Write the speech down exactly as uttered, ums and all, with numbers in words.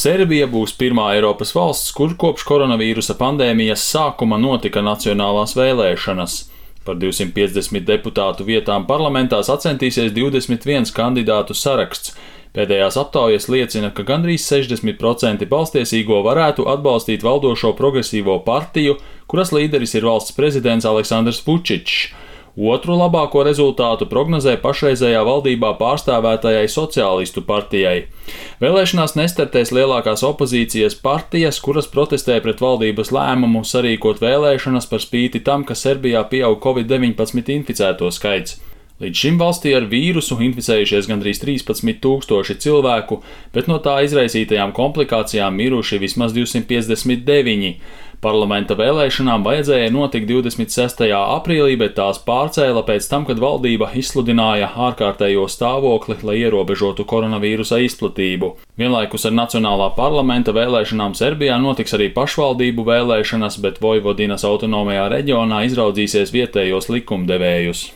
Serbija būs pirmā Eiropas valsts, kur kopš koronavīrusa pandēmijas sākuma notika nacionālās vēlēšanas. Par divsimt piecdesmit deputātu vietām parlamentā sacentīsies divdesmit viens kandidātu saraksts. Pēdējās aptaujas liecina, ka gandrīz sešdesmit procenti balstiesīgo varētu atbalstīt valdošo progresīvo partiju, kuras līderis ir valsts prezidents Aleksandrs Vučičs. Otru labāko rezultātu prognozē pašreizējā valdībā pārstāvētajai sociālistu partijai. Vēlēšanās nestartēs lielākās opozīcijas partijas, kuras protestē pret valdības lēmumu sarīkot vēlēšanas par spīti tam, ka Serbijā pieaug covid deviņpadsmit inficēto skaits. Līdz šim valstī ar vīrusu inficējušies gandrīz trīspadsmit tūkstoši cilvēku, bet no tā izraisītajām komplikācijām miruši vismaz divsimt piecdesmit deviņi. Parlamenta vēlēšanām vajadzēja notikt divdesmit sestajā aprīlī, bet tās pārcēla pēc tam, kad valdība izsludināja ārkārtējo stāvokli, lai ierobežotu koronavīrusa izplatību. Vienlaikus ar Nacionālā parlamenta vēlēšanām Serbijā notiks arī pašvaldību vēlēšanas, bet Vojvodinas autonomajā reģionā izraudzīsies vietējos likumdevējus.